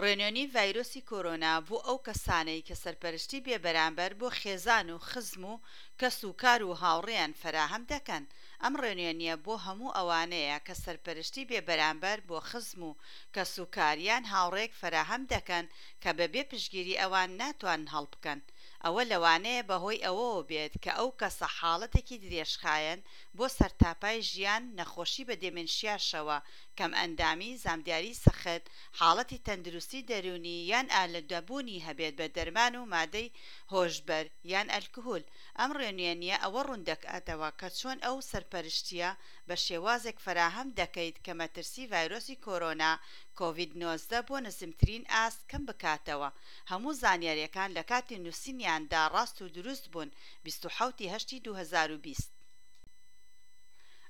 ڕێنوێنی ڤایرۆسی کۆرۆنا بۆ ئەو کەسانەی کە سەرپەرشتی بێبەرامبەر بۆ خێزان و خزم و کەس و کار و هاوڕێیان فەراهەم دەکەن. ئەم ڕێنوێنیە بۆ هەموو ئەوانەیە کە سەرپەرشتی بێبەرامبەر بۆ خزم و کەس و کار یان هاوڕێیەک فەراهەم دەکەن کە بەبێ پشتگیری ئەوان ناتوانن هەڵبکەن. ئەوە لەوانەیە بەهۆی ئەوەوە بێت کە ئەو کەسە حاڵەتێکی درێژخایەن بۆ سەرتاپای ژیان نەخۆشی بە دێمنشیاشەوە، کەمئەندامی، زامدیاری سەخت، حاڵەتی تەندروستی دەروونی یان ئالودەبوونی هەبێت بە دەرمان و مادەی هۆشبەر یان ئەلکهول. ئەم ڕێنوێنییە ئەوە ڕوون دەکاتەوە کە چۆن ئەو سەرپەرشتییە بە شێوازێک فەراهەم دەکەیت کە مەترسی ڤایرۆسی کۆرۆنا، کۆڤید 19، بۆ نزمترین ئاست کەم بکاتەوە. هەموو زانیارییەکان لە کاتی نووسینیاندا ڕاست و دروست بوون، 27 ی هەشتی 2020.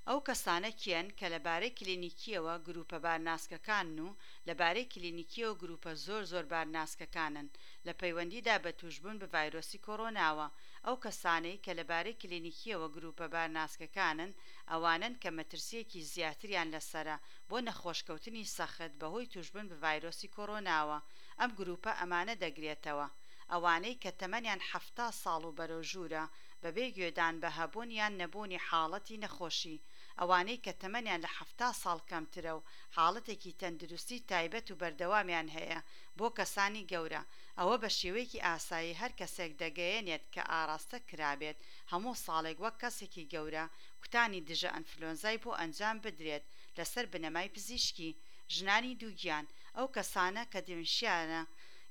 ئەو کەسانە کێن کە لە بارەی کلینیکییەوە گرووپە بارناسکەکانن و لە بارەی کلینیکییەوە گرووپە زۆر زۆر بارناسکەکانن لە پەیوەندیدا بە تووشبوون بە ڤایرۆسی کۆرۆناوە؟ ئەو کەسانەی کە لە بارەی کلینیکییەوە گرووپە بارناسکەکانن ئەوانەن کە مەترسییەکی زیاتریان لەسەرە بۆ نەخۆشکەوتنی سەخت بەهۆی تووشبوون بە ڤایرۆسی کۆرۆناوە. ئەم گرووپە ئەمانە دەگرێتەوە. ئەوانەی کە تەمەنیان 70 ساڵ و بەرەو ژوورە، بەبێ گوێدان بە هەبوون یان نەبوونی حاڵەتی نەخۆشی. ئەوانەی کە تەمەنیان لە 70 ساڵ کەمترە و حاڵەتێکی تەندروستی تایبەت و بەردەوامیان هەیە. بۆ کەسانی گەورە، ئەوە بە شێوەیەکی ئاسایی هەر کەسێک دەگەیەنێت کە ئاراستە کرابێت هەموو ساڵێک وەک کەسێکی گەورە کوتانی دژە ئەنفلۆنزای بۆ ئەنجام بدرێت لەسەر بنەمای پزیشکی. ژنانی دووگیان، ئەو کەسانە کە دیمنشیانە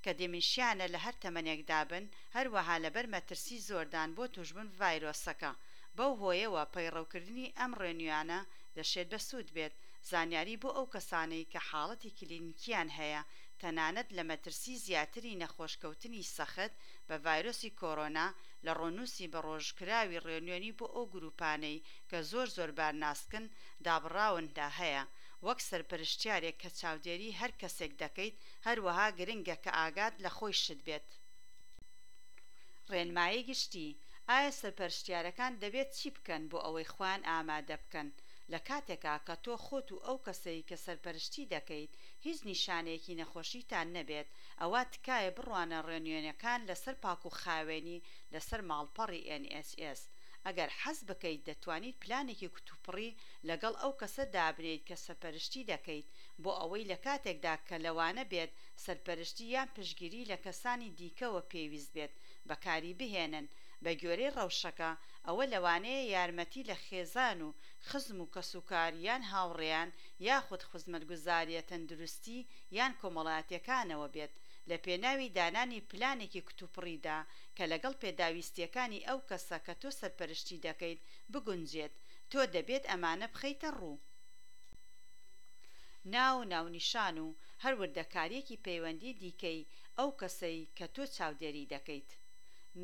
کە دیمنشیانە لە هەر تەمەنێکدا بن، هەروەها لەبەر مەترسی زۆردان بۆ تووشبوون بە ڤایرۆسەکە. بەو هۆیەوە پەیڕەوکردنی ئەم ڕێنویانە دەشێت بەسوود بێت. زانیاری بۆ ئەو کەسانەی کە حاڵەتی کلینیکیان هەیە تەنانەت لە مەترسی زیاتری نەخۆشکەوتنی سەخت بە ڤایرۆسی کۆرۆنا لە ڕۆنووسی بەڕۆژکراوی ڕێنوێنی بۆ ئەو گرووپانەی کە زۆر زۆر بارناسکن دابڕاون دا هەیە. وەک سەرپەرشتیارێک کە چاودێری هەر کەسێک دەکەیت هەروەها گرنگە کە ئاگات لە خۆیشت بێت. ڕێنمایی گشتی، ئایا سەرپەرشتیارەکان دەبێت چی بکەن بۆ ئەوەی خۆیان ئامادە بکەن لە کاتێکا کە تۆ خۆت و ئەو کەسەی کە سەرپەرشتی دەکەیت هیچ نیشانەیەکی نەخۆشیتان نەبێت ئەوا تکایە بڕوانە ڕێنوێنەکان لەسەر پاکوخاوێنی لەسەر ماڵپەڕی NHS. ئەگەر حەز بکەیت دەتوانیت پلانێکی کتوپڕی لەگەڵ ئەو کەسە دابنێیت کە سەرپەرشتی دەکەیت بۆ ئەوەی لە کاتێکدا کە لەوانە بێت سەرپەرشتی یان پشتگیری لە کەسانی دیکەوە پێویست بێت بەکاری بهێنن بە گوێرەی ڕەوشەکە. ئەوە لەوانەیە یارمەتی لە خێزان و خزم و کەسوکار یان هاوڕێیان یاخود خزمەتگوزارییە تەندروستی یان کۆمەڵایەتیەکانەوە بێت لە پێناوی دانانی پلانێکی کتوپڕیدا کە لەگەڵ پێداویستیەکانی ئەو کەسە کە تۆ سەرپەرشتی دەکەیت بگونجێت. تۆ دەبێت ئەمانە بخەیتە ڕوو. ناو و ناونیشان و هەر وردەکارییەکی پەیوەندی دیکەی ئەو کەسەی کە تۆ چاودێری دەکەیت.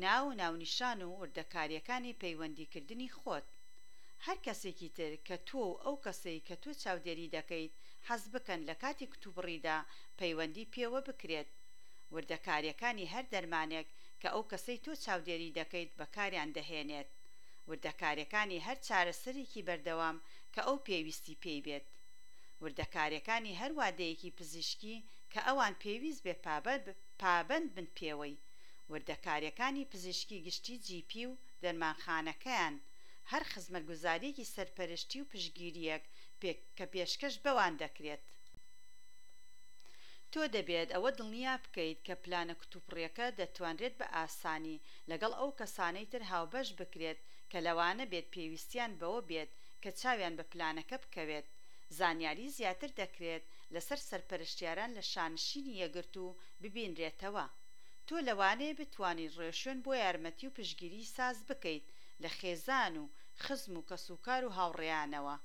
ناو و ناونیشان و وردەکارییەکانی پەیوەندیکردنی خۆت. هەر کەسێکی تر کە تۆ و ئەو کەسەی کە تۆ چاودێری دەکەیت حەز بکەن لە کاتی کتوبڕیدا پەیوەندی پێوە بکرێت. وردەکارییەکانی هەر دەرمانێک کە ئەو کەسەی تۆ چاودێری دەکەیت بەکاریان دەهێنێت. وردەکارییەکانی هەر چارەسەرێکی بەردەوام کە ئەو پێویستی پێی بێت. وردەکارییەکانی هەر وادەیەکی پزیشکی کە ئەوان پێویست بێ پابەند بن پێوەی. وردەکارییەکانی پزیشکی گشتی GP و دەرمانخانەکەیان. هەر خزمەتگوزارییەکی سەرپەرشتی و پشتگیرییەک کە پێشکەش بەوان دەکرێت. تۆ دەبێت ئەوە دڵنیا بکەیت کە پلانە کتوپڕیەکە دەتوانرێت بە ئاسانی لەگەڵ ئەو کەسانەی تر هاوبەش بکرێت کە لەوانە بێت پێویستیان بەوە بێت کە چاویان بە پلانەکە بکەوێت. زانیاری زیاتر دەکرێت لەسەر سەرپەرشتیاران لە شانشینی یەکگرتوو ببینرێتەوە. تۆ لەوانەیە بتوانیت ڕێوشوێن بۆ یارمەتی و پشتگیری ساز بکەیت لە خێزان و خزم و کەسوکار و هاوڕێیانەوە.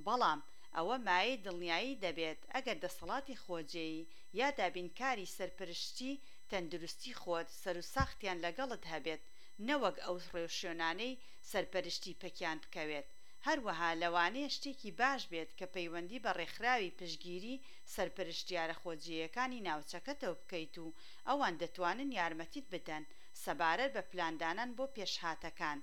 بەڵام ئەوە مایەی دڵنیایی دەبێت ئەگەر دەسەڵاتی خۆجێیی یا دابینکاری سەرپرشتی تەندروستی خۆت سەروساختیان لەگەڵت هەبێت نەوەک ئەو ڕێوشوێنانەی سەرپەرشتی پەکیان بکەوێت. هەروەها لەوانەیە شتێکی باش بێت کە پەیوەندی بە ڕێکخراوی پشتگیری سەرپەرشتیارە خۆجێیەکانی ناوچەکەتەوە بکەیت و ئەوان دەتوانن یارمەتیت بدەن سەبارەت بە پلاندانان بۆ پێشهاتەکان.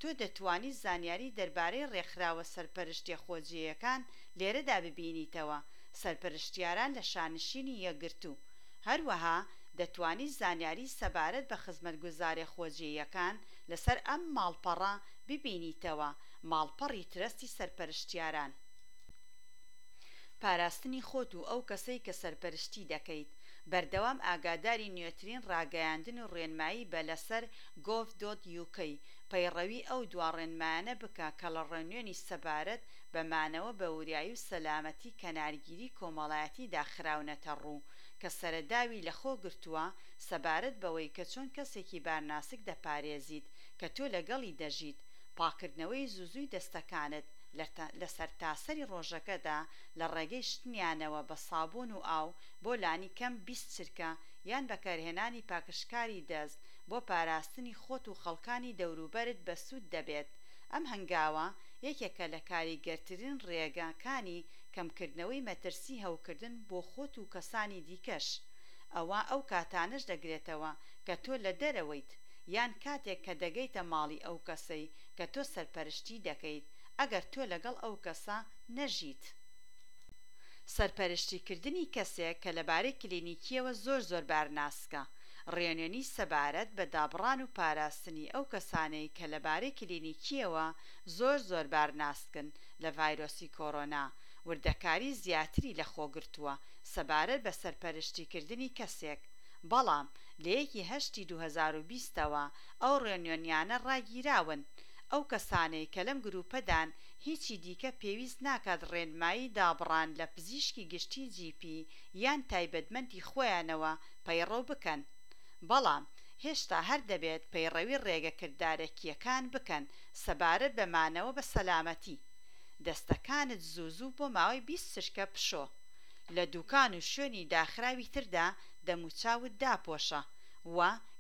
تۆ دەتوانیت زانیاری دەربارەی ڕێکخراوە سەرپەرشتیە خۆجێیەکان لێرەدا ببینیتەوە، سەرپەرشتیاران لە شانشینی یەکگرتوو. هەروەها دەتوانیت زانیاری سەبارەت بە خزمەتگوزاریە خۆجێیەکان لەسەر ئەم ماڵپەڕە ببینیتەوە، ماڵپەڕی ترەستی سەرپەرشتیاران. پاراستنی خۆت و ئەو کەسەی کە سەرپەرشتی دەکەیت. بەردەوام ئاگاداری نوێترین ڕاگەیاندن و ڕێنمایی بە لەسەر گۆڤ دۆت یوکەی. پەیڕەوی ئەو دوا ڕێنمایانە بکە کە لە ڕێنوێنی سەبارەت بە مانەوە بە وریایی و سەلامەتی کەنارگیری کۆمەڵایەتیدا خراونەتە ڕوو کە سەرەداوی لەخۆ گرتووە سەبارەت بەوەی کە چۆن کەسێکی بارناسک دەپارێزیت کە تۆ لەگەڵی دەژیت پاککردنەوەی زوو زووی دەستەکانت لە سەرتاسەری ڕۆژەکەدا لە ڕێگەی شتنیانەوە بە سابوون و ئاو بۆ لانیکەم 20 چرکە یان بەکارهێنانی پاکژکاری دەست بۆ پاراستنی خۆت و خەڵکانی دەوروبەرت بەسوود دەبێت ئەم هەنگاوە یەکێکە لە کاریگەرترین ڕێگاکانی کەمکردنەوەی مەترسی هەوکردن بۆ خۆت و کەسانی دیکەش ئەوە ئەو کاتانەش دەگرێتەوە کە تۆ لە دەرەوەیت یان کاتێک کە دەگەیتە ماڵی ئەو کەسەی کە تۆ سەرپەرشتی دەکەیت ئەگەر تۆ لەگەڵ ئەو کەسە نەژیت. سەرپەرشتیکردنی کەسێک کە لەبارەی کلینیکییەوە زۆر زۆر بارناسکە. ڕێنوێنی سەبارەت بە دابڕان و پاراستنی ئەو کەسانەی کە لەبارەی کلینیکییەوە زۆر زۆر بارناسکن لە ڤایرۆسی کۆرۆنا وردەکاری زیاتری لەخۆگرتووە سەبارەت بە سەرپەرشتیکردنی کەسێک بەڵام لە یەکی هەشتی 2020 ەوە ئەو ڕێنوێنیانە ڕاگیراون. ئەو کەسانەی کە لەم گروپەدان هیچی دیکە پێویست ناکات ڕێنمایی دابڕان لە پزیشکی گشتی GP یان تایبەتمەندی خۆیانەوە پەیڕەو بکەن. بەڵام هێشتا هەر دەبێت پەیڕەوی ڕێگە کردارەکییەکان بکەن سەبارەت بە مانەوە بە سەلامەتی. دەستەکانت زوو زوو بۆ ماوەی 20 چرکە بشۆ. لە دوکان و شوێنی داخراوی تردا دەموچاوت داپۆشە و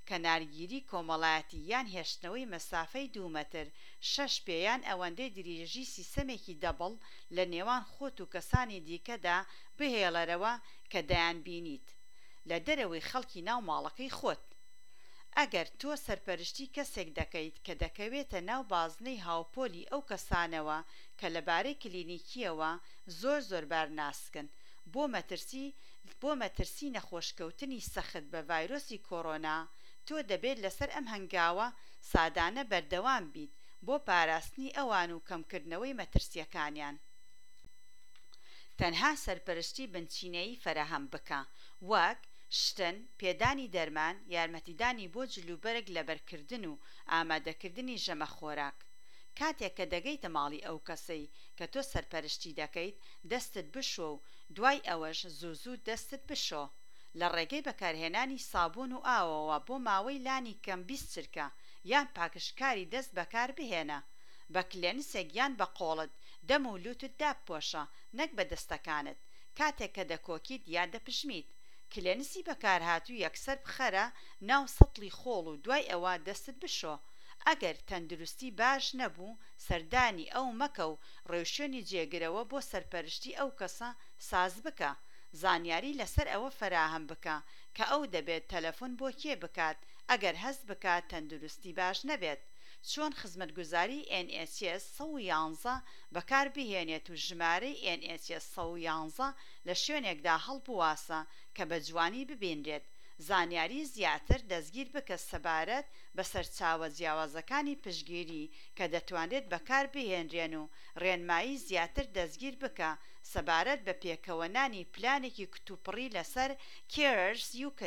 کەنارگیری کۆمەڵایەتی یان هێشتنەوەی مەسافەی دوو مەتر، شەش پێ یان ئەوەندەی دریژی سیسەمێکی دەبڵ لە نێوان خۆت و کەسانی دیکەدا بهێڵەرەوە کە دەیانبینیت لە دەرەوەی خەڵکی ناو ماڵەکەی خۆت. ئەگەر تۆ سەرپەرشتی کەسێک دەکەیت کە دەکەوێتە ناو بازنەی هاوپۆلی ئەو کەسانەوە کە لەبارەی کلینیکییەوە زۆر زۆر بارناسکن بۆ مەترسی بۆ مەترسی نەخۆشکەوتنی سەخت بە ڤایرۆسی کۆرۆنا، تۆ دەبێت لەسەر ئەم هەنگاوە سادانە بەردەوام بیت بۆ پاراستنی ئەوان و کەمکردنەوەی مەترسییەکانیان. تەنها سەرپەرشتی بنچینەیی فەراهەم بکە، وەک، شتن، پێدانی دەرمان، یارمەتیدانی بۆ جلوبەرگ لەبەرکردن و ئامادەکردنی ژەمە خۆراک. کاتێک کە دەگەیتە ماڵی ئەو کەسەی کە تۆ سەرپەرشتی دەکەیت، دەستت بشۆ و دوای ئەوەش زوو زوو دەستت بشۆ لە ڕێگەی بەکارهێنانی سابوون و ئاوەوە بۆ ماوەی لانی کەم 20 چرکە یان پاکژکاری دەست بەکاربهێنە. بە کلێنسێک یان بە قۆڵت دەم و لوتت دابپۆشە نەک بە دەستەکانت کاتێک کە دەکۆکیت یان دەپژمیت. کلێنسی بەکارهاتوو یەکسەر بخەرە ناو سەتڵی خۆڵ و دوای ئەوە دەستت بشۆ. ئەگەر تەندروستی باش نەبوو سەردانی ئەو مەکە و ڕێوشوێنی جێگرەوە بۆ سەرپەرشتی ئەو کەسە ساز بکە. زانیاری لەسەر ئەوە فەراهەم بکە کە ئەو دەبێت تەلەفۆن بۆ کێ بکات ئەگەر هەست بکات تەندروستی باش نەبێت. چۆن خزمەتگوزاری NHS 111 بەکاربهێنێت و ژمارەی NHS 111 لە شوێنێکدا هەڵبواسە کە بە جوانی ببینرێت. زانیاری زیاتر دەستگیر بکە سەبارەت بە سەرچاوە جیاوازەکانی پشتگیری کە دەتوانرێت بەکاربهێنرێن و ڕێنمایی زیاتر دەستگیر بکە سەبارەت بە پێکەوەنانی پلانێکی کتوپڕی لەسەر Carers UK.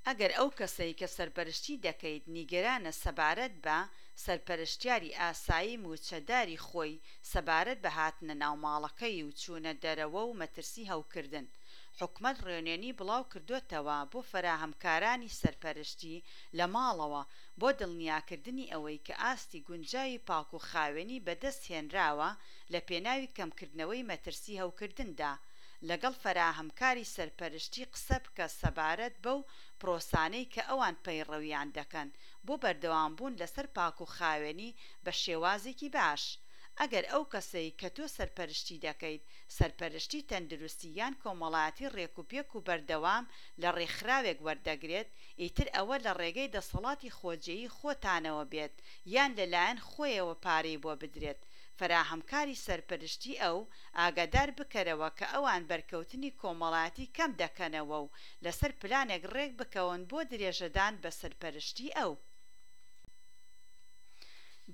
ئەگەر ئەو کەسەی کە سەرپەرشتی دەکەیت نیگەرانە سەبارەت بە سەرپەرشتیاری ئاسایی مووچەداری خۆی سەبارەت بە هاتنە ناو ماڵەکەی و چوونە دەرەوە و مەترسی هەوکردن، حکومەت ڕێنوێنی بڵاوکردۆتەوە بۆ فەراهەمکارانی سەرپەرشتی لە ماڵەوە بۆ دڵنیاکردنی ئەوەی کە ئاستی گونجاوی پاکوخاوێنی بەدەستهێنراوە لە پێناوی کەمکردنەوەی مەترسی هەوکردندا. لەگەڵ فەراهەمکاری سەرپەرشتی قسە بکە سەبارەت بەو پرۆسانەی کە ئەوان پەیڕەویان دەکەن بۆ بەردەوامبوون لەسەر پاکوخاوێنی بە شێوازێکی باش. ئەگەر ئەو کەسەی کە تۆ سەرپەرشتی دەکەیت سەرپەرشتی تەندروستی یان کۆمەڵایەتی ڕێکوپێک و بەردەوام لە ڕێکخراوێک وەردەگرێت، ئیتر ئەوە لە ڕێگەی دەسەڵاتی خۆجێیی خۆتانەوە بێت یان لەلایەن خۆیەوە پارەی بۆ بدرێت. فەراهەمکاری سەرپەرشتی ئەو ئاگادار بکەرەوە کە ئەوان بەرکەوتنی کۆمەڵایەتی کەم دەکەنەوە و لەسەر پلانێک ڕێک بکەون بۆ درێژەدان بە سەرپەرشتی ئەو.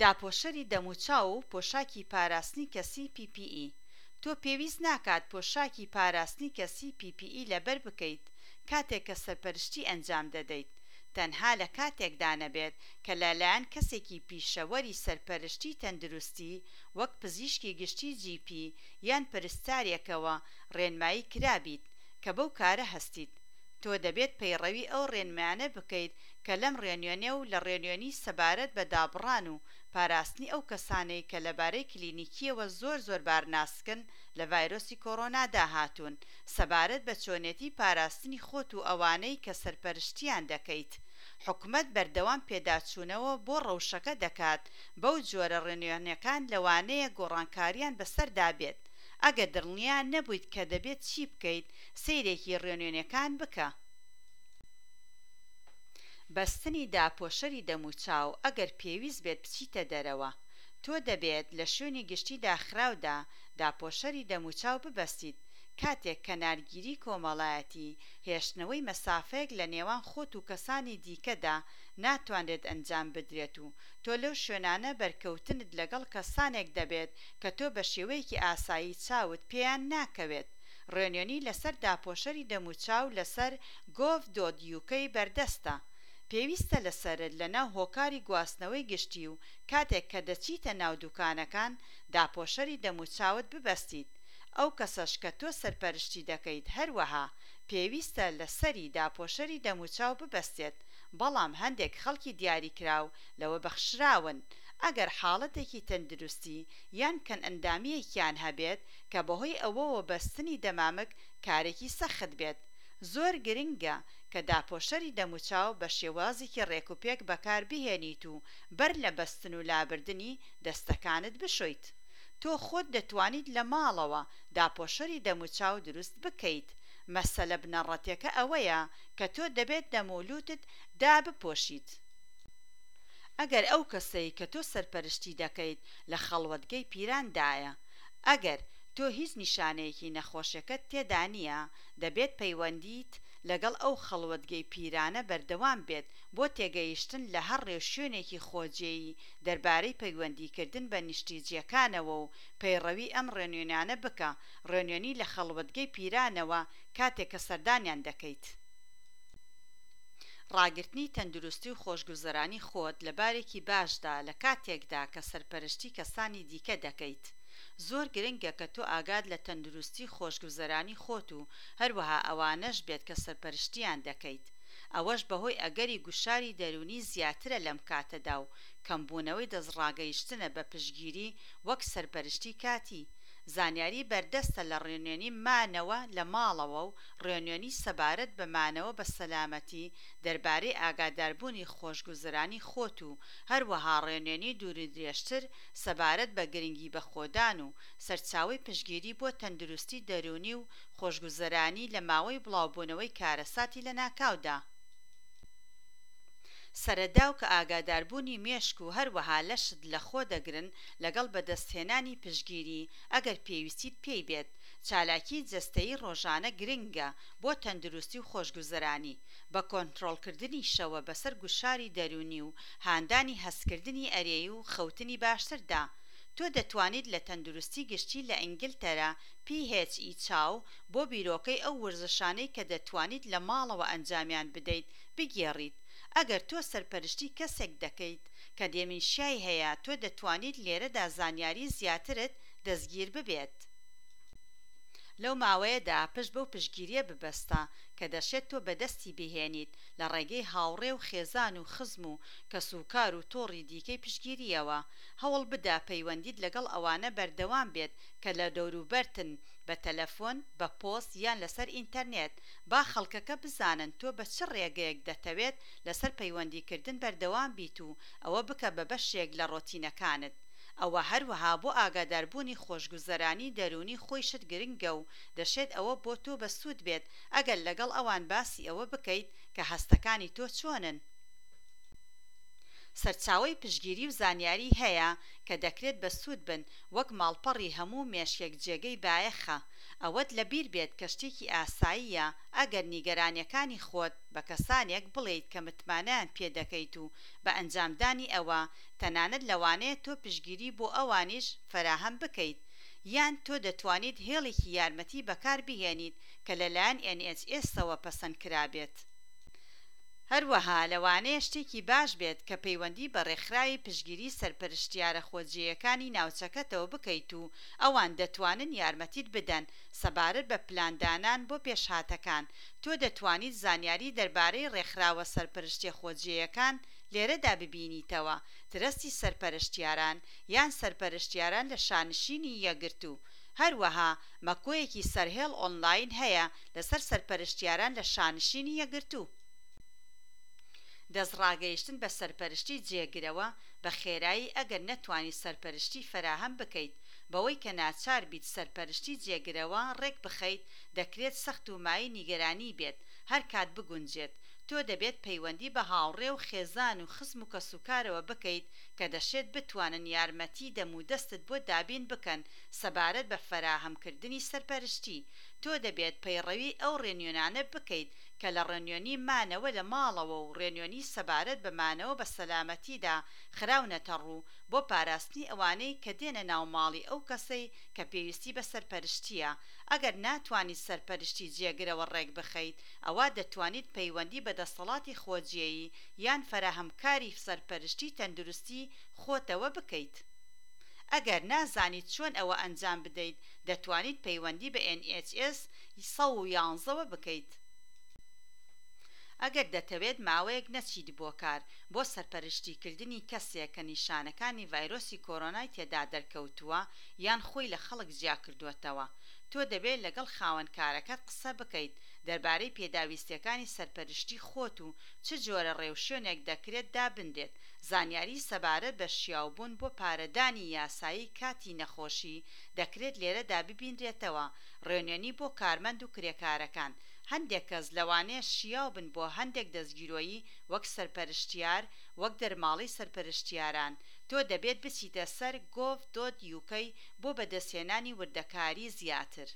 داپۆشەری دەموچاو و پۆشاکی پاراستنی کەسی، PPE. تۆ پێویست ناکات پۆشاکی پاراستنی کەسی، PPE، لەبەر بکەیت کاتێک کە سەرپەرشتی ئەنجام دەدەیت، تەنها لە کاتێکدا نەبێت کە لەلایەن کەسێکی پیشەوەری سەرپەرشتی تەندروستی وەک پزیشکی گشتی GP یان پەرستارێکەوە ڕێنمایی کرابیت کە بەو کارە هەستیت. تۆ دەبێت پەیڕەوی ئەو ڕێنمایانە بکەیت کە لەم ڕێنوێنیە و لە ڕێنوێنی سەبارەت بە دابڕان و پاراستنی ئەو کەسانەی کە لەبارەی کلینیکیەوە زۆر زۆر بارناسکن لە ڤایرۆسی کۆرۆنادا هاتوون سەبارەت بە چۆنێتی پاراستنی خۆت و ئەوانەی کە سەرپەرشتیان دەکەیت. حکومەت بەردەوام پێداچوونەوە بۆ ڕەوشەکە دەکات، بەو جۆرە ڕێنوێنیەکان لەوانەیە گۆڕانکاریان بەسەردا بێت. ئەگەر دڵنیا نەبوویت کە دەبێت چی بکەیت، سەیرێکی ڕێنوێنیەکان بکە. بەستنی داپۆشەری دەموچاو ئەگەر پێویست بێت بچیتە دەرەوە. تۆ دەبێت لە شوێنی گشتی داخراودا داپۆشەری دەموچاو ببەستیت کاتێک کەنارگیری کۆمەڵایەتی، هێشتنەوەی مەسافەیەک لە نێوان خۆت و کەسانی دیکەدا، ناتوانرێت ئەنجام بدرێت و تۆ لەو شوێنانە بەرکەوتنت لەگەڵ کەسانێک دەبێت کە تۆ بە شێوەیەکی ئاسایی چاوت پێیان ناکەوێت. ڕێنوێنی لەسەر داپۆشەری دەموچاو لەسەر gov dot uk بەردەستە. پێویستە لەسەرت لەناو هۆکاری گواستنەوەی گشتی و کاتێک کە دەچیتە ناو دوکانەکان داپۆشەری دەموچاوت ببەستیت. ئەو کەسەش کە تۆ سەرپەرشتی دەکەیت هەروەها پێویستە لەسەری داپۆشەری دەموچاو ببەستێت، بەڵام هەندێک خەڵکی دیاریکراو لەوە بەخشراون ئەگەر حاڵەتێکی تەندروستی یان کەمئەندامییەکیان هەبێت کە بەهۆی ئەوەوە بەستنی دەمامک کارێکی سەخت بێت. زۆر گرنگە کە داپۆشەری دەموچاو بە شێوازێکی ڕێکوپێک بەکاربهێنیت و بەر لە بەستن و لابردنی، دەستەکانت بشۆیت. تۆ خۆت دەتوانیت لە ماڵەوە داپۆشەری دەموچاو دروست بکەیت. مەسەلە بنەڕەتیەکە ئەوەیە کە تۆ دەبێت دەم و لوتت دابپۆشیت. ئەگەر ئەو کەسەی کە تۆ سەرپەرشتی دەکەیت لە خەڵوەتگەی پیراندایە، ئەگەر تۆ هیچ نیشانەیەکی نەخۆشیەکەت تێدا نییە، دەبێت پەیوەندیت لەگەڵ ئەو خەڵوەتگەی پیرانە بەردەوام بێت بۆ تێگەیشتن لە هەر ڕێوشوێنێکی خۆجێیی دەربارەی پەیوەندیکردن بە نیشتیجێکانەوە و پەیڕەوی ئەم ڕێنوێنیانە بکە، ڕێنوێنی لە خەڵوەتگەی پیرانەوە کاتێک کە سەردانیان دەکەیت. ڕاگرتنی تەندروستی و خۆشگوزەرانی خۆت لە بارێکی باشدا لە کاتێکدا کە سەرپەرشتی کەسانی دیکە دەکەیت. زۆر گرنگە کە تۆ ئاگات لە تەندروستی و خۆشگوزەرانی خۆت و هەروەها ئەوانەش بێت کە سەرپەرشتیان دەکەیت. ئەوەش بەهۆی ئەگەری گوشاری دەروونی زیاترە لەم کاتەدا و کەمبوونەوەی دەستڕاگەیشتنە بە پشتگیری وەک سەرپەرشتی کاتی. زانیاری بەردەستە لە ڕێنوێنی مانەوە لە ماڵەوە و ڕێنوێنی سەبارەت بە مانەوە بە سەلامەتی دەربارەی ئاگاداربوونی خۆشگوزەرانی خۆت و هەروەها ڕێنوێنی دوورودرێژتر سەبارەت بە گرنگی بەخۆدان و سەرچاوەی پشتگیری بۆ تەندروستی دەروونی و خۆشگوزەرانی لە ماوەی بڵاوبوونەوەی کارەساتی لەناکاودا. سەرەداو کە ئاگاداربوونی مێشک و هەروەها لەشت لەخۆ دەگرن لەگەڵ بەدەستهێنانی پشتگیری ئەگەر پێویستیت پێی بێت. چالاکیی جەستەیی ڕۆژانە گرنگە بۆ تەندروستی و خۆشگوزەرانی، بە کۆنترۆڵکردنیشەوە بەسەر گوشاری دەروونی و هاندانی هەستکردنی ئەرێی و خەوتنی باشتردا. تۆ دەتوانیت لە تەندروستی گشتی لە ئینگلتەرا PHE چاو بۆ بیرۆکەی ئەو وەرزشانەی کە دەتوانیت لە ماڵەوە ئەنجامیان بدەیت بگێڕیت. ئەگەر تۆ سەرپەرشتی کەسێک دەکەیت کە دێمینشیای هەیە تۆ دەتوانیت لێرەدا زانیاری زیاترت دەستگیر ببێت. لەو ماوەیەدا پشت بەو پشتگیرییە ببەستە کە دەشێت تۆ بەدەستی بهێنیت لە ڕێگەی هاوڕێ و خێزان و خزم و کەسوکار و تۆڕی دیکەی پشتگیرییەوە. هەوڵ بدە پەیوەندیت لەگەڵ ئەوانە بەردەوام بێت کە لە دەوروبەرتن بە تەلەفۆن، بە پۆست یان لەسەر ئینتەرنێت. با خەڵکەکە بزانن تۆ بە چ ڕێگەیەک دەتەوێت لەسەر پەیوەندیکردن بەردەوام بیت و ئەوە بکە بە بەشێک لە ڕۆتینەکانت. ئەوە هەروەها بۆ ئاگاداربوونی خۆشگوزەرانی دەروونی خۆیشت گرنگە و دەشێت ئەوە بۆ تۆ بەسوود بێت ئەگەر لەگەڵ ئەوان باسی ئەوە بکەیت کە هەستەکانی تۆ چۆنن. سەرچاوەی پشتگیری و زانیاری هەیە کە دەکرێت بەسوود بن، وەک ماڵپەڕی هەموو مێشکێک جێگەی بایەخە. ئەوەت لەبیر بێت کە شتێکی ئاساییە ئەگەر نیگەرانیەکانی خۆت بە کەسانێک بڵێیت کە متمانەیان پێدەکەیت و بە ئەنجامدانی ئەوە تەنانەت لەوانەیە تۆ پشتگیری بۆ ئەوانیش فەراهەم بکەیت. یان تۆ دەتوانیت هێڵێکی یارمەتی بەکاربهێنیت کە لەلایەن ئێن ئێچ ئێسەوە پەسەندکرابێت. هەروەها لەوانەیە شتێکی باش بێت کە پەیوەندی بە ڕێکخراوی پشتگیری سەرپەرشتیارە خۆجێیەکانی ناوچەکەتەوە بکەیت و ئەوان دەتوانن یارمەتیت بدەن سەبارەت بە پلاندانان بۆ پێشهاتەکان. تۆ دەتوانیت زانیاری دەربارەی ڕێکخراوە سەرپەرشتیە خۆجێیەکان لێرەدا ببینیتەوە، ترەستی سەرپەرشتیاران یان سەرپەرشتیاران لە شانشینی یەکگرتوو. هەروەها مەکۆیەکی سەرهێڵ ئۆنلاین هەیە لەسەر سەرپەرشتیاران لە شانشینی یەکگرتوو. دەستڕاگەیشتن بە سەرپەرشتی جێگرەوە بە خێرایی ئەگەر نەتوانیت سەرپەرشتی فەراهەم بکەیت، بەوەی کە ناچار بیت سەرپەرشتی جێگرەوە ڕێک بخەیت دەکرێت سەخت و مایەی نیگەرانی بێت هەرکات بگونجێت. تۆ دەبێت پەیوەندی بە هاوڕێ و خێزان و خزم و کەسوکارەوە بکەیت کە دەشێت بتوانن یارمەتی دەمودەستت بۆ دابین بکەن سەبارەت بە فەراهەمکردنی سەرپەرشتی. تۆ دەبێت پەیڕەوی ئەو ڕێنوێنانە بکەیت کە لە ڕێنوێنی مانەوە لە ماڵەوە و ڕێنوێنی سەبارەت بە مانەوە بە سەلامەتیدا خراونەتە ڕوو بۆ پاراستنی ئەوانەی کە دێنە ناو ماڵی ئەو کەسەی کە پێویستی بە سەرپەرشتییە. ئەگەر ناتوانیت سەرپەرشتی جێگرەوە ڕێکبخەیت، ئەوا دەتوانیت پەیوەندی بە دەسەڵاتی خۆجێیی یان فەراهەمکاری سەرپەرشتی تەندروستی خۆتەوە بکەیت. ئەگەر نازانیت چۆن ئەوە ئەنجام بدەیت، دەتوانیت پەیوەندی بە ئێن ئێچ ئێس 111 وە بکەیت. ئەگەر دەتەوێت ماوەیەک نەچیت بۆ کار بۆ سەرپەرشتیکردنی کەسێک کە نیشانەکانی ڤایرۆسی کۆرۆنای تێدا دەرکەوتووە یان خۆی لە خەڵک جیاکردووەتەوە، تۆ دەبێت لەگەڵ خاوەن کارەکەت قسە بکەیت دەربارەی پێداویستیەکانی سەرپەرشتی خۆت و چ جۆرە ڕێوشوێنێک دەکرێت دابنرێت. زانیاری سەبارەت بە شیاوبوون بۆ پارەدانی یاسایی کاتی نەخۆشی دەکرێت لێرەدا ببینرێتەوە، ڕێنوێنی بۆ کارمەند و کرێکارەکان. هەندێک کەس لەوانەیە شیاو بن بۆ هەندێک دەستگیرۆیی وەک سەرپەرشتیار، وەک دەرماڵەی سەرپەرشتیاران. تۆ دەبێت بچیتە سەر گۆڤ دۆت یوکەی بۆ بەدەستهێنانی وردەکاری زیاتر.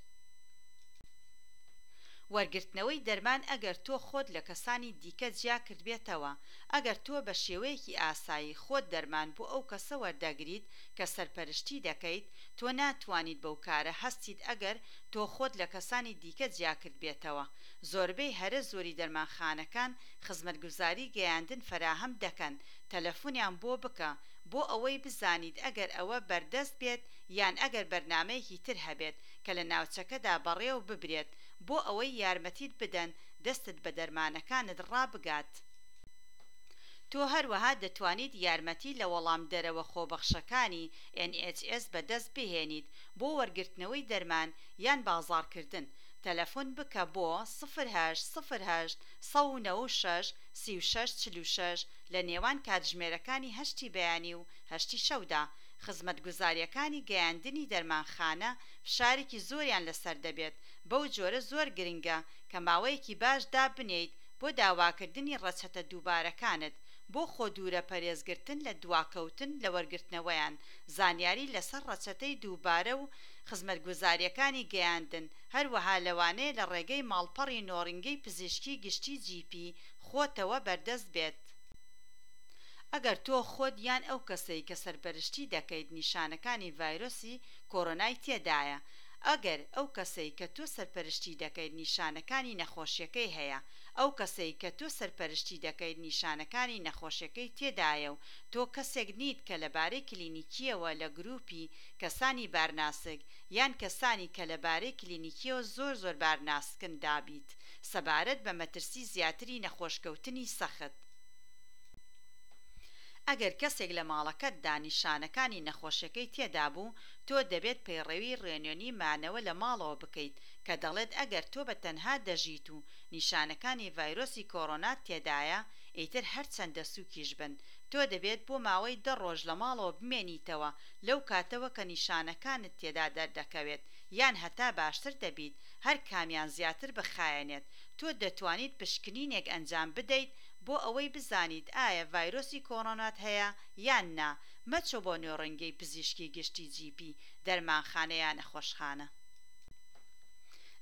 وەرگرتنەوەی دەرمان ئەگەر تۆ خۆت لە کەسانی دیکە جیا کردبێتەوە ئەگەر تۆ بە شێوەیەکی ئاسایی خۆت دەرمان بۆ ئەو کەسە وەردەگریت کە سەرپەرشتی دەکەیت، تۆ ناتوانیت بەو کارە هەستیت ئەگەر تۆ خۆت لە کەسانی دیکە جیاکردبێتەوە. زۆربەی هەرە زۆری دەرمانخانەکان خزمەتگوزاری گەیاندن فەراهەم دەکەن، تەلەفونیان بۆ بکە بۆ ئەوەی بزانیت ئەگەر ئەوە بەردەست بێت یان ئەگەر بەرنامەیەکی تر هەبێت کە لە ناوچەکەدا بەڕێوە ببرێت بۆ ئەوەی یارمەتیت بدەن دەستت بە دەرمانەکانت ڕابگات. تۆ هەروەها دەتوانیت یارمەتی لە وەڵامدەرەوە خۆبەخشەکانی ئێن ئێچ ئێس بەدەست بهێنیت بۆ وەرگرتنەوەی دەرمان یان بازاڕکردن. تەلەفۆن بکە بۆ، سفر هەشت سفر هەشت 196 36 46، لە نێوان کاتژمێرەکانی هەشتی بەیانی و هەشتی شەودا. خزمەتگوزارییەکانی گەیاندنی دەرمانخانە فشارێکی زۆریان لەسەر دەبێت، بەو جۆرە زۆر گرنگە کە ماوەیەکی باش دابنێیت بۆ داواکردنی ڕەچەتە دووبارەکانت بۆ خۆ دوورە پەرێزگرتن لە دواکەوتن لە وەرگرتنەوەیان. زانیاری لەسەر ڕەچەتەی دووبارە و خزمەتگوزارییەکانی گەیاندن هەروەها لەوانەیە لە ڕێگەی ماڵپەڕی نۆڕینگەی پزیشکی گشتی جی پی خۆتەوە بەردەست بێت. ئەگەر تۆ خۆت یان ئەو کەسەی کە سەرپەرشتی دەکەیت نیشانەکانی ڤایرۆسی کۆرۆنای تێدایە ئەگەر ئەو کەسەی کە تۆ سەرپەرشتی دەکەیت نیشانەکانی نەخۆشیەکەی هەیە ئەو کەسەی کە تۆ سەرپەرشتی دەکەیت نیشانەکانی نەخۆشیەکەی تێدایە و تۆ کەسێک نیت کە لەبارەی کلینیکیەوە لە گروپی کەسانی بارناسک یان کەسانی کە لەبارەی کلینیکیەوە زۆر زۆر بارناسکن دابیت سەبارەت بە مەترسی زیاتری نەخۆشکەوتنی سەخت. ئەگەر کەسێک لە ماڵەکەتدا نیشانەکانی نەخۆشیەکەی تێدابوو، تۆ دەبێت پەیڕەوی ڕێنوێنی مانەوە لە ماڵەوە بکەیت کە دەڵێت ئەگەر تۆ بە تەنها دەژیت و نیشانەکانی ڤایرۆسی کۆرۆنات تێدایە، ئیتر هەرچەندە سوکیش بن، تۆ دەبێت بۆ ماوەی دە ڕۆژ لە ماڵەوە بمێنیتەوە لەو کاتەوە کە نیشانەکانت تێدا دەردەکەوێت. یان هەتا باشتر دەبیت، هەر کامیان زیاتر بخایەنێت. تۆ دەتوانیت پشکنینێک ئەنجام بدەیت بۆ ئەوەی بزانیت ئایا ڤایرۆسی کۆرۆنات هەیە یان نا. مەچۆ بۆ نۆڕینگەی پزیشکی گشتی GP، دەرمانخانە یا نەخۆشخانە.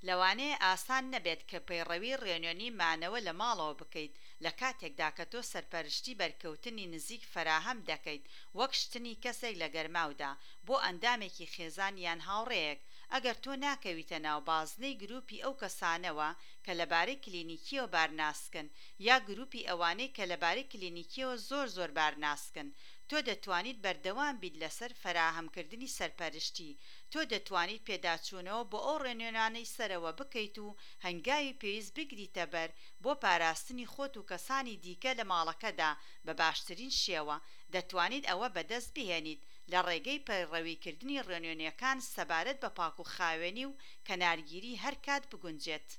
لەوانەیە ئاسان نەبێت کە پەیڕەوی ڕێنوێنی مانەوە لە ماڵەوە بکەیت لە کاتێکدا کە تۆ سەرپەرشتی بەرکەوتنی نزیک فەراهەم دەکەیت وەک شتنی کەسێک لە گەرماودا بۆ ئەندامێکی خێزان یان هاوڕێیەک. ئەگەر تۆ ناکەویتە ناو بازنەی گروپی ئەو کەسانەوە کە لەبارەی کلینیکیەوە بارناسکن یا گروپی ئەوانەی کە لەبارەی کلینیکیەوە زۆر زۆر بارناسکن تۆ دەتوانیت بەردەوام بیت لەسەر فەراهەمکردنی سەرپەرشتی. تۆ دەتوانیت پێداچوونەوە بۆ ئەو ڕێنوێنانەی سەرەوە بکەیت و هەنگاوی پێویست بگریتەبەر بۆ پاراستنی خۆت و کەسانی دیکە لە ماڵەکەدا بە باشترین شێوە. دەتوانیت ئەوە بەدەست بهێنیت لە ڕێگەی پەیڕەویکردنی ڕێنوێنیەکان سەبارەت بە پاکوخاوێنی و کەنارگیری هەرکات بگونجێت.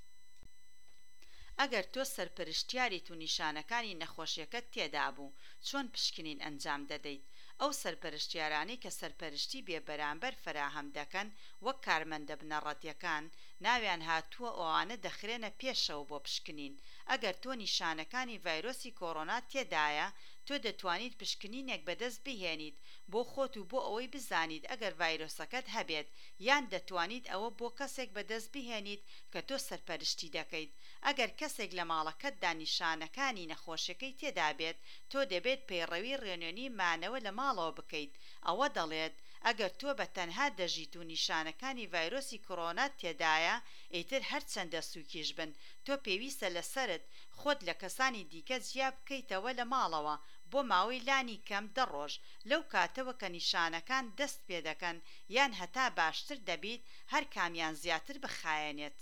ئەگەر تۆ سەرپەرشتیاریت و نیشانەکانی نەخۆشیەکەت تێدابوو، چۆن پشکنین ئەنجام دەدەیت؟ ئەو سەرپەرشتیارانەی کە سەرپەرشتی بێبەرامبەر فەراهەم دەکەن وەک کارمەندە بنەڕەتیەکان ناویان هاتووە ئەوانە دەخرێنە پێشەوە بۆ پشکنین. ئەگەر تۆ نیشانەکانی ڤایرۆسی کۆرۆنات تێدایە، تۆ دەتوانیت پشکنینێک بەدەست بهێنیت بۆ خۆت و بۆ ئەوەی بزانیت ئەگەر ڤایرۆسەکەت هەبێت یان دەتوانیت ئەوە بۆ کەسێک بەدەست بهێنیت کە تۆ سەرپەرشتی دەکەیت. ئەگەر کەسێک لە ماڵەکەتدا نیشانەکانی نەخۆشیەکەی تێدابێت، تۆ دەبێت پەیڕەوی ڕێنوێنی مانەوە لە ماڵەوە بکەیت. ئەوە دەڵێت ئەگەر تۆ بە تەنها دەژیت و نیشانەکانی ڤایرۆسی کۆرۆنات تێدایە، ئیتر هەرچەندە سوکیش بن، تۆ پێویستە لەسەرت خۆت لە کەسانی دیکە جیا بکەیتەوە لە ماڵەوە بۆ ماوەی لانی کەم دە ڕۆژ لەو کاتەوە کە نیشانەکان دەست پێدەکەن یان هەتا باشتر دەبیت، هەر کامیان زیاتر بخایەنێت.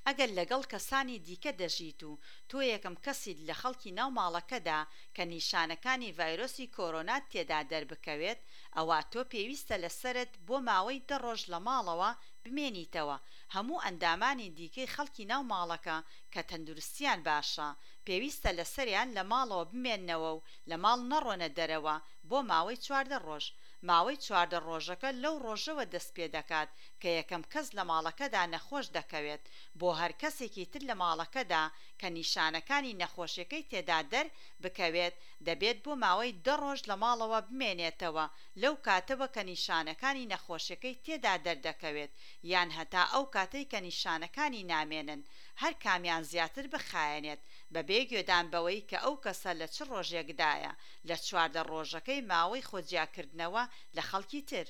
ئەگەر لەگەڵ کەسانی دیکە دەژیت و تۆ یەکەم کەسیت لە خەڵکی ناو ماڵەکەدا کە نیشانەکانی ڤایرۆسی کۆرۆنات تێدا دەربکەوێت ئەوا تۆ پێویستە لەسەرت بۆ ماوەی دە ڕۆژ لە ماڵەوە بمێنیتەوە هەموو ئەندامانی دیکەی خەڵکی ناو ماڵەکە کە تەندروستیان باشە پێویستە لەسەریان لە ماڵەوە بمێننەوە و لە ماڵ نەڕۆنە دەرەوە بۆ ماوەی 14 ڕۆژ. ماوەی 14 ڕۆژەکە لەو ڕۆژەوە دەست پێدەکات کە یەکەم کەس لە ماڵەکەدا نەخۆش دەکەوێت. بۆ هەر کەسێکی تر لە ماڵەکەدا کە نیشانەکانی نەخۆشیەکەی تێدا دەر بکەوێت دەبێت بۆ ماوەی دە ڕۆژ لە ماڵەوە بمێنێتەوە لەو کاتەوە کە نیشانەکانی نەخۆشیەکەی تێدا دەردەکەوێت یان هەتا ئەو کاتەی کە نیشانەکانی نامێنن هەر کامیان زیاتر بخایەنێت بەبێ گوێدان بەوەی کە ئەو کەسە لە چ ڕۆژێکدایە لە 14 ڕۆژەکەی ماوەی خۆجیاکردنەوە لە خەڵکی تر.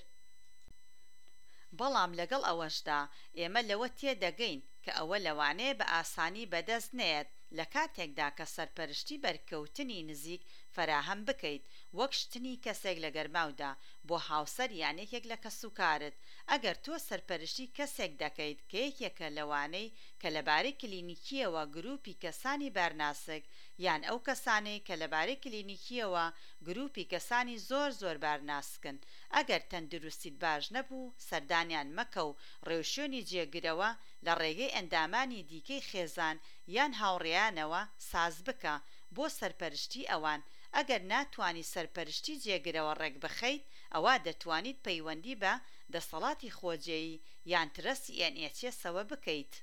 بەڵام لەگەڵ ئەوەشدا، ئێمە لەوە تێدەگەین کە ئەوە لەوانەیە بە ئاسانی بەدەست نەیەت لە کاتێکدا کە سەرپەرشتی بەرکەوتنی نزیک فەراهەم بکەیت وەک شتنی کەسێک لە گەرماودا بۆ هاوسەر یان یەکێک لە کەسوکارت. ئەگەر تۆ سەرپەرشتی کەسێک دەکەیت کە یەکێکە لەوانەی کە لەبارەی کلینیکییەوە گروپی کەسانی بارناسک یان ئەو کەسانەی کە لەبارەی کلینیکییەوە گروپی کەسانی زۆر زۆر بارناسکن ئەگەر تەندروستیت باش نەبوو سەردانیان مەکە و ڕێوشوێنی جێگرەوە لە ڕێگەی ئەندامانی دیکەی خێزان یان هاوڕێیانەوە ساز بکە بۆ سەرپەرشتی ئەوان. ئەگەر ناتوانی سەرپەرشتی جێگرەوە ڕێکبخەیت ئەوا دەتوانیت پەیوەندی بە دەسەڵاتی خۆجێیی یان ترەستی ئێن ئێچ ئێسەوە بکەیت.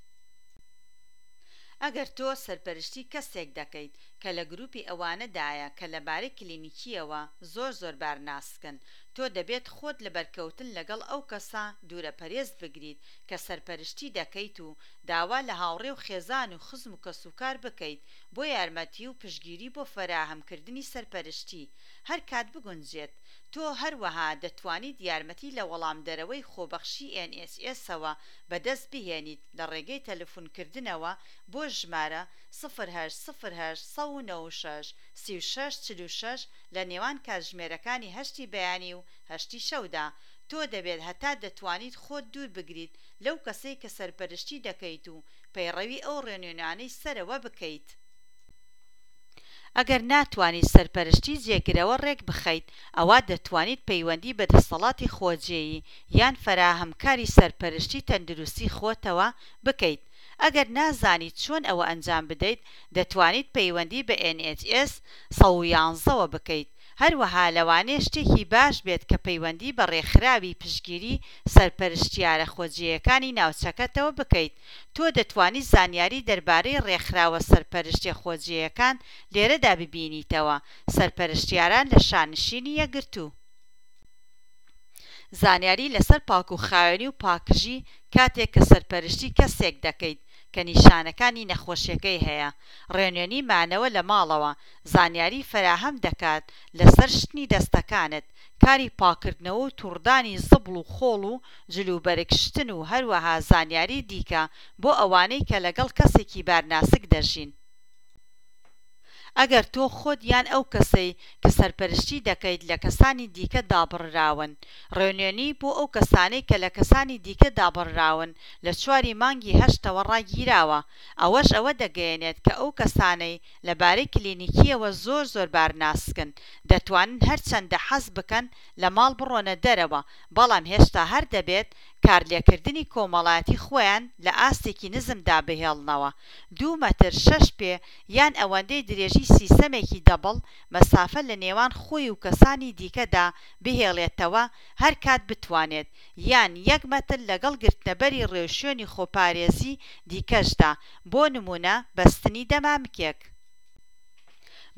ئەگەر تۆ سەرپەرشتی کەسێک دەکەیت کە لە گروپی ئەوانەدایە کە لەبارەی کلینیکییەوە زۆر زۆر بارناسکن، تۆ دەبێت خۆت لە بەرکەوتن لەگەڵ ئەو کەسە دوورەپەرێز بگریت کە سەرپەرشتی دەکەیت و داوا لە هاوڕێ و خێزان و خزم و کەسوکار بکەیت بۆ یارمەتی و پشتگیری بۆ فەراهەمکردنی سەرپەرشتی هەر کات بگونجێت. تۆ هەروەها دەتوانیت یارمەتی لە وەڵامدەرەوەی خۆبەخشی ئێن ئێچ ئێسەوە بەدەست بهێنیت لە ڕێگەی تەلەفونکردنەوە بۆ ژمارە سفر هەشت سفر هەشت 196 36 46 لە نێوان کاتژمێرەکانی هەشتی بەیانی و هەشتی شەودا. تۆ دەبێت هەتا دەتوانیت خۆت دوور بگریت لەو کەسەی کە سەرپەرشتی دەکەیت و پەیڕەوی ئەو ڕێنوێنانەی سەرەوە بکەیت. ئەگەر ناتوانیت سەرپەرشتی جێگرەوە ڕێکبخەیت، ئەوا دەتوانیت پەیوەندی بە دەسەڵاتی خۆجێیی یان فەراهەمکاری سەرپەرشتی تەندروستی خۆتەوە بکەیت. ئەگەر نازانیت چۆن ئەوە ئەنجام بدەیت، دەتوانیت پەیوەندی بە ئێن ئێچ ئێس 111 وە بکەیت. هەروەها لەوانەیە شتێکی باش بێت کە پەیوەندی بە ڕێکخراوی پشتگیری سەرپەرشتیارە خۆجێیەکانی ناوچەکەتەوە بکەیت. تۆ دەتوانیت زانیاری دەربارەی ڕێکخراوە سەرپەرشتیە خۆجێیەکان لێرەدا ببینیتەوە، سەرپەرشتیاران لە شانشینی یەکگرتوو. زانیاری لەسەر پاکوخاوێنی و پاکژی کاتێک کە سەرپەرشتی کەسێک دەکەیت کە نیشانەکانی نەخۆشیەکەی هەیە. ڕێنوێنی مانەوە لە ماڵەوە زانیاری فەراهەم دەکات لەسەر شتنی دەستەکانت، کاری پاککردنەوە و توڕدانی زبڵ و خۆڵ و جلوبەرگ شتن و هەروەها زانیاری دیکە بۆ ئەوانەی کە لەگەڵ کەسێکی بارناسک دەژین. ئەگەر تۆ خۆت یان ئەو کەسەی کە سەرپەرشتی دەکەیت لە کەسانی دیکە دابڕراون. ڕێنوێنی بۆ ئەو کەسانەی کە لە کەسانی دیکە دابڕراون لە چواری مانگی هەشتەوە ڕاگیراوە، ئەوەش ئەوە دەگەیەنێت کە ئەو کەسانەی لە بارەی کلینیکیەوە زۆر زۆر بارناسکن دەتوانن هەرچەندە حەز بکەن لە ماڵ بڕۆنە دەرەوە بەڵام هێشتا هەر دەبێت کارلێکردنی کۆمەڵایەتی خۆیان لە ئاستێکی نزمدا بهێڵنەوە دوو مەتر شەش پێ یان ئەوەندەی درێژی سیسەمێکی دەبڵ مەسافە لە نێوان خۆی و کەسانی دیکەدا بهێڵێتەوە هەرکات بتوانێت یان یەک مەتر لەگەڵ گرتنەبەری ڕێوشوێنی خۆپارێزی دیکەشدا بۆ نمونە بەستنی دەمامکێک.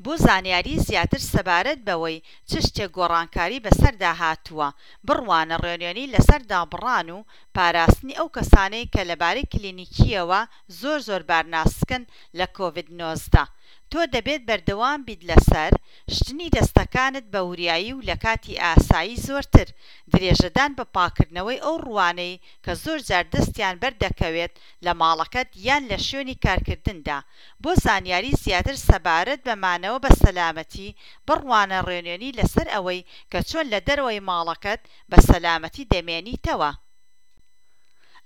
بۆ زانیاری زیاتر سەبارەت بەوەی چ شتێک گۆڕانکاری بەسەردا هاتووە، بڕوانە ڕێنوێنی لەسەر دابڕان و پاراستنی ئەو کەسانەی کە لەبارەی کلینیکیەوە زۆر زۆر بارناسکن لە کۆڤید 19. تۆ دەبێت بەردەوام بیت لەسەر، شتنی دەستەکانت بە وریایی و لە کاتی ئاسایی زۆرتر، درێژەدان بە پاککردنەوەی ئەو ڕووانەی کە زۆرجار دەستیان بەردەکەوێت لە ماڵەکەت یان لە شوێنی کارکردندا. بۆ زانیاری زیاتر سەبارەت بە مانەوە بە سەلامەتی، بڕوانە ڕێنوێنی لەسەر ئەوەی کە چۆن لە دەرەوەی ماڵەکەت بە سەلامەتی دەمێنیتەوە.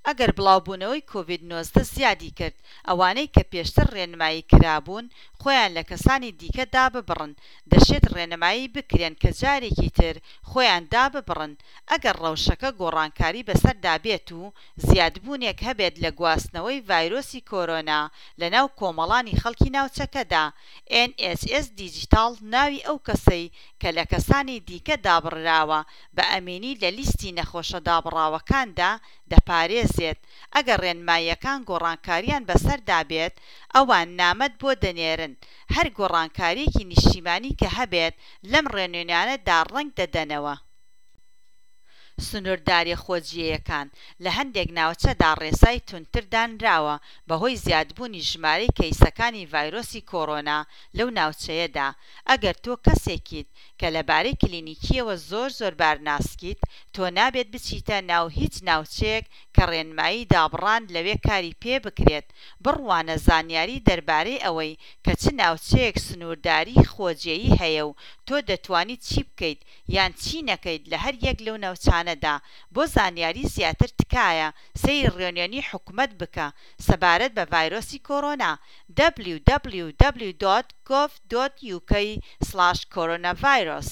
ئەگەر بڵاوبوونەوەی کۆڤید 19 زیادی کرد، ئەوانەی کە پێشتر ڕێنمایی کرابوون خۆیان لە کەسانی دیکە داببڕن، دەشێت ڕێنمایی بکرێن کە جارێکی تر خۆیان داببڕن ئەگەر ڕەوشەکە گۆڕانکاری بەسەردا بێت و زیادبوونێک هەبێت لە گواستنەوەی ڤایرۆسی کۆرۆنا لەناو کۆمەڵانی خەڵکی ناوچەکەدا. ئێن ئێچ ئێس دیجیتاڵ ناوی ئەو کەسەی کە لە کەسانی دیکە دابڕراوە بە ئەمینی لە لیستی نەخۆشە دابڕاوەکاندا دەپارێزێت. ئەگەر ڕێنماییەکان گۆڕانکاریان بەسەردا بێت، ئەوان نامەت بۆ دەنێرن. هەر گۆڕانکارییەکی نیشتیمانی کە هەبێت لەم ڕێنوێنیانەدا ڕەنگ دەدەنەوە. سنووردارییە خۆجێیەکان، لە هەندێک ناوچەدا ڕێسای توندتر دانراوە بەهۆی زیادبوونی ژمارەی کەیسەکانی ڤایرۆسی کۆرۆنا لەو ناوچەیەدا. ئەگەر تۆ کەسێکیت کە لەبارەی کلینیکیەوە زۆر زۆر بارناسکیت، تۆ نابێت بچیتە ناو هیچ ناوچەیەک کە ڕێنمایی دابڕان لەوێ کاری پێبکرێت. بڕوانە زانیاری دەربارەی ئەوەی کە چ ناوچەیەک سنوورداریی خۆجێی هەیە و تۆ دەتوانیت چی بکەیت یان چی نەکەیت لە هەر یەک لەو ناوچانەدا. بۆ زانیاری زیاتر تکایە سەیری ڕێنوێنی حکومەت بکە سەبارەت بە ڤایرۆسی کۆرۆنا، www.gov.uk/coronavirus.